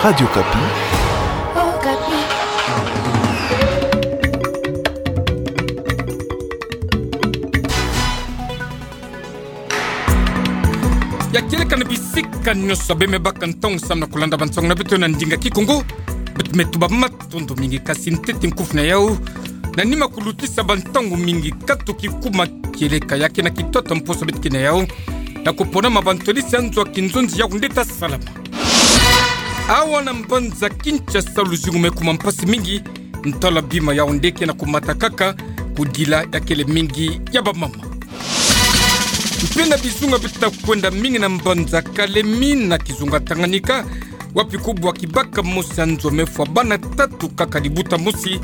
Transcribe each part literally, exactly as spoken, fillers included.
Radio Okapi. Ya kieleka na bisika nyonso bê me baka ntangu samu na kulanda bansangu na beto na ndinga Kikongo. Beto me tuba matondo mingi, kasi ntete nkufi na yau na nima kulutisa bantangu mingi katuki kuma kieleka ya kena kitata mposo beto kena yau, na kupona ma bantwadisi ya nzo ya kinzonzi yau nde ta salama. Awa na mbanza Kinshasa luzingu me kuma mpasi mingi, ntalwa bima yau nde kena kumata kaka, kudila ya kele mingi ya bamama. Mpe na bizunga beto ta kwenda mingi na mbanza Kalemi na kizunga Tanganyika, wapi kubwa kibaka mosi ya nzo me fwa bana tatu kaka libuta mosi,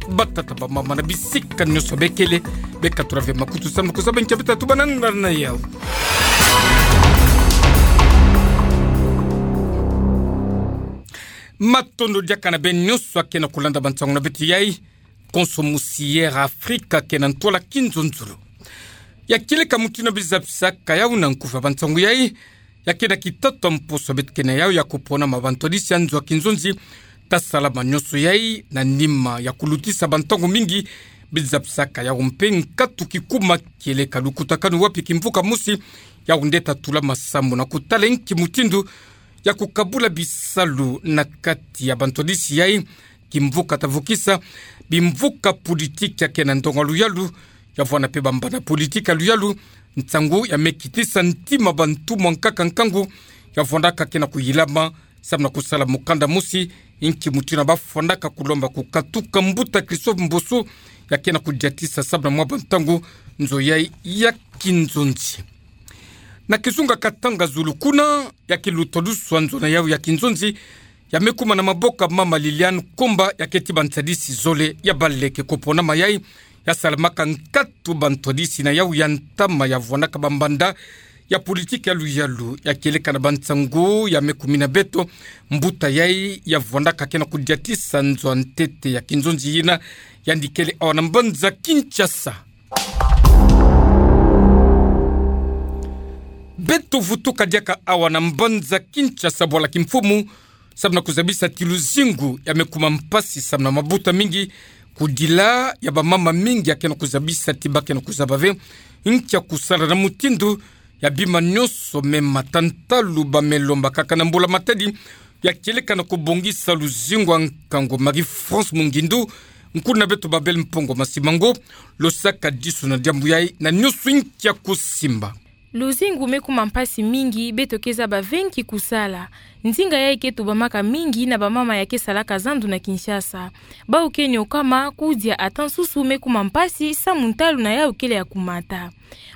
batata, bamama na bisika nyonso bê kele, bê katura ve makutu samu na kuzaba nkia beto ta tuba na nda na yau. Matondo diaka na bê nyonso akena kulanda bansangu na beto yai, konso mosi Air Afrique kena ntwala kinzonzolo. Ya kieleka mutindu bizabisaka yau na nkufi ya bansangu yai, ya kena kitata mposo beto kena yau ya kupona ma bantwadisi ya nzo ya kinzonzi ta salama nyonso yai, na nima ya kulutisa bantangu mingi bizabisaka yau mpe nkatu kikuma kieleka lukutakanu wapi kimvuka mosi yau nde ta tulama samu na kutala nki mutindu ya kukabula bisalu na kati ya bantwadisi yai, kimvuka ta vukisa bimvuka politiki ya kena ndonga luyalu, ya vwanda mpe bambanda politiki ya luyalu, nsangu ya me kitisa ntima bantu mwa nkaka nkangu, ya vwandaka kena kuyilama samu na kusala mukanda mosi, nki mutindu ba vwandaka kulomba kukatuka mbuta Christophe Mboso, ya kena kudiatisa samu na mwa bantangu nzo yai ya kinzonzi. Na kizunga Katanga Zulu kuna, ya kiluta luswa nzo na yau ya kinzonzi, ya me kuma na maboko ya mama Liliane Komba, ya keti bantwadisi zole ya baleke kupona ma yai, ya salamaka nkatu bantwadisi na yau ya ntama ya vwandaka bambanda ya politiki ya luyalu, ya kieleka na bansangu ya me kumina beto, mbuta yai ya vwandaka kena kudiatisa nzo ya ntete ya kinzonzi yina, yandi kele awa na mbanza Kinshasa. Beto vutuka diaka awa na mbanza Kinshasa bwala kimfumu, samu na kuzabisa ti luzingu ya me kuma mpasi samu na mabuta mingi, kudila ya bamama mingi ya kena kuzabisa ti ba kena kuzaba ve nkia kusala na mutindu ya bima nyonso me mata. Ntalu ba me lomba kaka na mbula-matadi ya kieleka na kubongisa luzingu ya nkangu. Marie-France Mungindu, nkuna beto Babel Mpongo Masimango, lo saka disu na diambu yai na nyonso nkia kusimba. Luzingu me kuma mpasi mingi, beto ke zaba ve nki kusala. Ndinga yai ke tubamaka mingi na bamama ya ke salaka zandu na Kinshasa. Bau ke nyokama, kudia ata nsusu me kuma mpasi samu ntalu na yau kele ya kumata.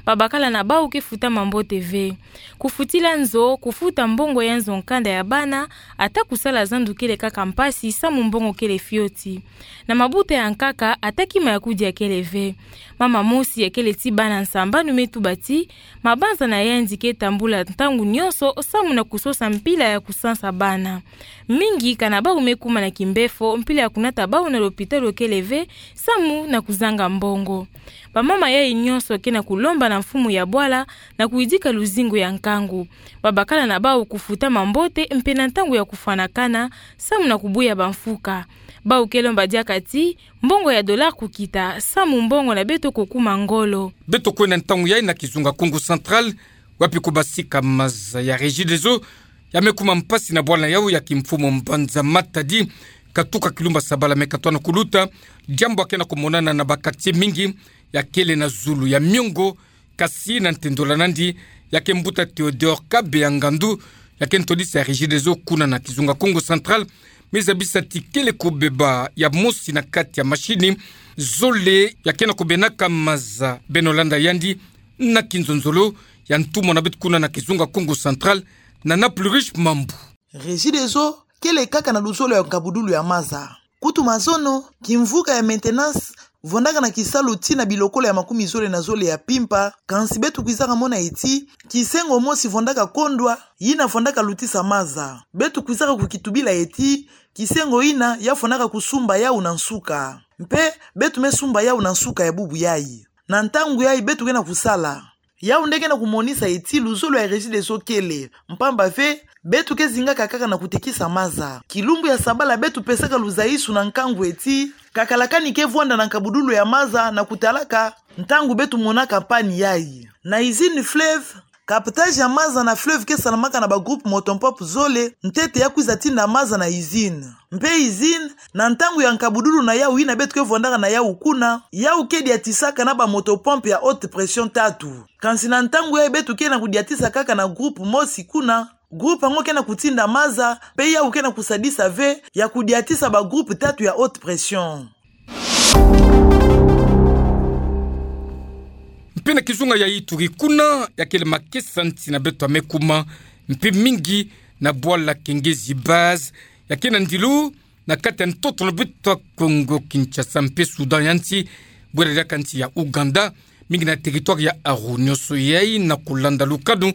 Babakala na bau ke futa mambote ve. Kufutila nzo, kufuta mbongo ya nzo-nkanda ya bana, ata kusala zandu kele kaka mpasi samu mbongo kele fioti. Na mabuta ya nkaka, ata kima ya kudia kele ve. Mama mosi ya kele ti bana nsambanu me tuba ti mabanza na yandi ke tambula ntangu nyonso samu na kusosa mpila ya kusansa bana. Mingi kana bau me kuma na kimbefo, mpila ya kunata bau na lopitalo kele ve samu na kuzanga mbongo. Bamama yai nyonso ke na kulomba na mfumu ya bwala na kuyidika luzingu ya nkangu. Babakala na bau kufuta mambote mpe na ntangu ya kufwanakana samu na kubuya bamfuka. Bau ke lomba diaka ti mbongo ya dollar kukita samu mbongo na beto kukuma ngolo. Beto kwenda ntangu yai na kizunga Kongo Central, wapi kubasika maza ya Regideso ya me kuma mpasi na bwala na yau ya kimfumu Mbanza Matadi, katuka kilumba Sabala me katona kuluta, diambu ya ke na kumonana na ba quartier mingi ya kele na zulu ya miongo, kasi na ntendola nandi, ya ke mbuta Théodore Kabeya Ngandu, ya ke ntwadisi ya Regideso kuna na kizunga Kongo Central, me zabisa ti kele kubeba ya mosi na kati ya machine zole ya ke na kubenaka maza. Beno landa yandi na kinzonzolo ya ntumwa na beto kuna na kizunga Kongo Central, na Nana Plurish Mambu. Regideso kele kaka na luzolo ya nkabudulu ya maza. Kutu mazono, kimvuka ya maintenance vwandaka na kisalu tii na bilokolo ya makumi zole na zole ya mpimpa, kansi beto kwizaka mona ye ti kisengo mosi vwandaka kondwa, yina vwandaka lutisa maza. Beto kwizaka kukitubila ye ti kisengo yina ya vwandaka kusumba yau na nsuka. Mpe beto me sumba yau na nsuka ya bubu yai. Na ntangu yai beto ke na kusala. Yau nde ke na kumonisa eti luzolo ya Regideso kele, mpamba ve, beto ke zingaka kaka na kutekisa maza. Kilumbu ya sabala beto pesaka luzaisu na nkangu eti, kakalakani ke vwanda na nkabudulu ya maza na kutalaka ntangu beto monaka panne yayi. Na usine Fleuve, captage ya maza na fleuve ke salamaka na ba groupe moto-pompe zole, ntete ya kwiza tinda maza na usine. Mpe usine, na ntangu ya nkabudulu na yau yina beto ke vwandaka na yau kuna, yau ke diatisaka na ba moto-pompe ya haute pression tatu. Kansi na ntangu yayi beto ke na kudiatisa kaka na groupe mosi kuna, groupe yango ke na kutinda maza, mpe yau ke na kusadisa ve ya kudiatisa ba groupe tatu ya haute pression. Mpe na kizunga ya Ituri kuna, ya kele makesa nsi na beto ya me kuma mpe mingi na bwala Kengezi Base, ya ke na ndilu na kati ya ntoto na beto ya Kongo Kinshasa mpe Soudan ya nsi, bwela diaka nsi ya Ouganda, mingi na territoire ya Aru. Nionso yayi na kulanda lukanu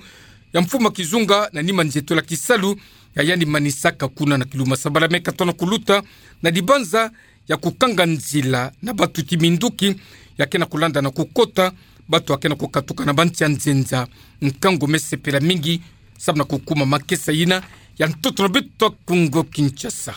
ya mfumu ya kizunga na nima nzietolo ya kisalu ya yandi manisaka kuna na kilumbu ya sabala me katona kuluta na dibanza ya kukanga nzila na bato ti minduki ya ke na kulanda na kukota, bato ya ke na kukatuka na bansi ya nzenza. Nkangu me sepela mingi samu na kukuma makesa yina ya ntoto na beto ya Kongo Kinshasa.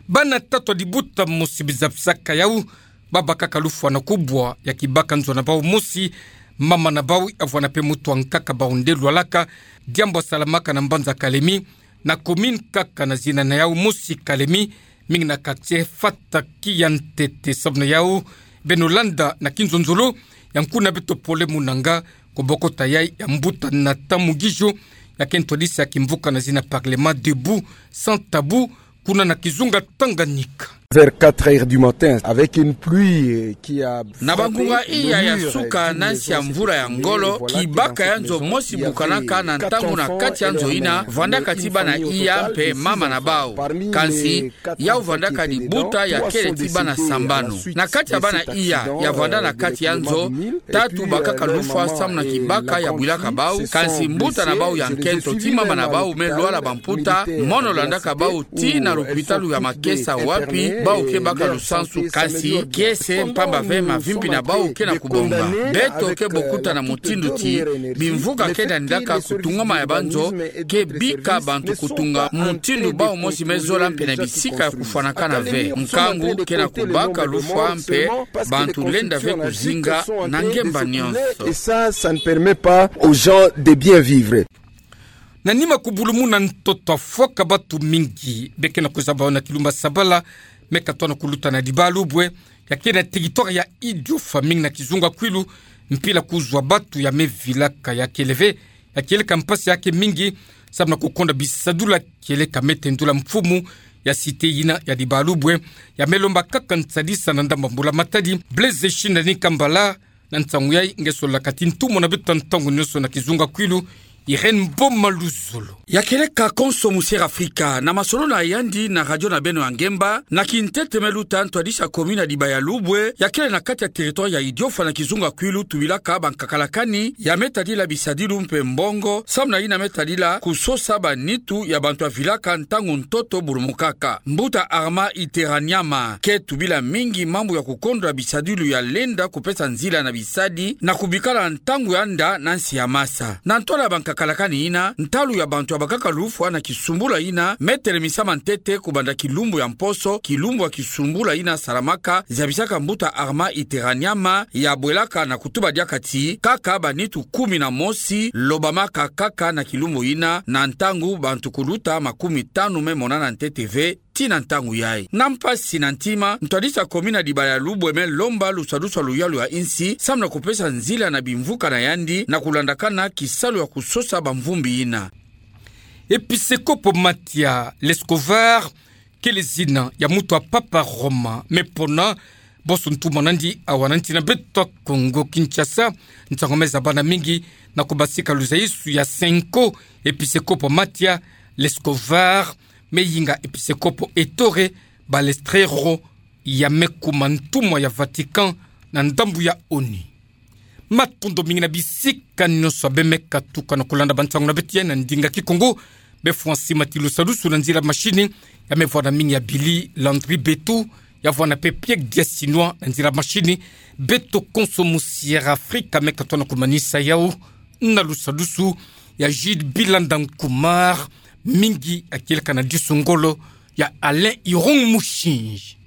Bana tatu ya libuta mosi biza bisaka yau, babakaka lufwa na kubwa ya kibaka nzo na bau mosi, mama na bau ya vwanda mpe moto ya nkaka bau nde lwalaka, diambu ya salamaka na mbanza Kalemi, na commune kaka na zina na yau mosi Kalemi, mingi na quartier Fataki ya ntete. Samu na yau, beno landa na kinzonzolo ya nkuna beto Pole Munanga, ku bokota yayi ya mbuta Nathan Mugisho, ya ke ntwadisi ya kimvuka na zina Parlement Debout Sans Tabou, kuna na kizunga Tanganyika. Vers quatre heures du matin, avec une pluie, euh, qui a frappé le mur, euh, d'une maison. Na bangunga iya ya suka, na nsi ya mvula ya ngolo, kibaka ya nzo mosi bukanaka na ntangu na kati ya nzo yina, vandaka ti bana iya mpe mama na bau. Kansi, yau vandaka libuta ya kele ti bana sambanu. Na kati ya bana iya ya vanda na kati ya nzo, tatu bakaka lufwa samu na kibaka ya bwilaka bau, kansi mbuta na bau ya nkento ti mama na bau me lwala bamputa, mono landaka bau tii na lupitalu ya Makesa wapi bau ke baka lusansu, kansi kiese mpamba ve mavimpi na bau ke na kubonga. Beto ke bokuta na mutindu ti bimvuka ke na nilaka kutungama ya banzo ke bika bantu kutunga mutindu bau mosi me zola mpe na bisika ya kufwanakana ve. Nkangu ke na kubaka lufwa mpe bantu lenda ve kuzinga na ngemba nionso. Et ça, ça ne permet pas aux gens de bien vivre. Na nima kubulumuna ntoto ya fwaka, batu mingi be ke na kuzaba na kilumbu ya sabala me katona kuluta na Dibalubwe, ya ke na territoire ya Idiofa, mingi na kizunga Kwilu, mpila kuzwa batu ya me vilaka. Ya kele ve, ya kieleka mpasi ya ke mingi samu na kukonda bisadulu ya kieleka me tendula mfumu ya cité yina ya Dibalubwe, ya me lomba kaka nsadisa na ndambu ya mbula matadi. Blaise Shindani Kambala, na nsangu yayi nge sololaka ti ntumwa na beto ya ntangu nionso na kizunga Kwilu, Irène Mboma Luzolo. Ya kieleka konso Musier Afrika, na masolo na yandi na radio na beno ya ngemba, na kintete me luta, ntwadisi ya commune ya Dibalubwe, ya kele na kati ya territoire ya Idiofa na kizunga Kwilu, tubilaka bankakalakani ya me tadila bisadilu mpe mbongo, samu na yina me tadila kusosa banitu ya bantu ya vilaka ntangu ntoto bulumukaka. Mbuta Armand Iteraniama ke tubila mingi mambu ya kukondwa bisadilu ya lenda kupesa nzila na bisadi na kubikala ntangu ya nda na nsi ya masa. Na ntwala ya bankakalakani yina, ntalu ya bantu ya bakaka lufwa na kisumbula yina me telemisama ntete kubanda kilumbu ya mposo, kilumbu ya kisumbula yina salamaka, zabisaka mbuta Armand Iteraniama, ya bwelaka na kutuba diaka ti kaka banitu kumi na mosi lobamaka kaka na kilumbu yina, na ntangu bantu kuluta makumi tanu me monana ntete ve tii na ntangu yayi. Na mpasi na ntima, ntwadisi ya commune ya Dibalubwe me lomba lusadusu ya luyalu ya insi samu na kupesa nzila na bimvuka na yandi na kulandakana kisalu ya kusosa bamvumbi yina. Episekopo Mathias Lescovar kele zina ya muntu ya Papa Roma, me pona bonso ntumwa na yandi awa na nsi na beto ya Kongo Kinshasa. Nsangu me zabana mingi na kubasika luzaisu ya Senko, Episekopo Mathias Lescovar, me yinga Episekopo Ettore Balestrero, ya me kuma ntumwa ya Vatican na ndambu ya ONU. Matondo mingi na bisika nionso ya be me katuka na kulanda bansangu na beto ya na ndinga Kikongo. Be fwa nsima ti lusadusu na nzila machine, ya me vwanda mingi ya Billy Landry Betu, Ya vwa na pepe ya Chinois na nzila mashini. Beto konso musi ya Afrika meka tona kumanisa yawu na lusa lusu ya Gilles Bilanda Nkumar, mingi akileka na disu ngolo ya Alain Irung Mushinji.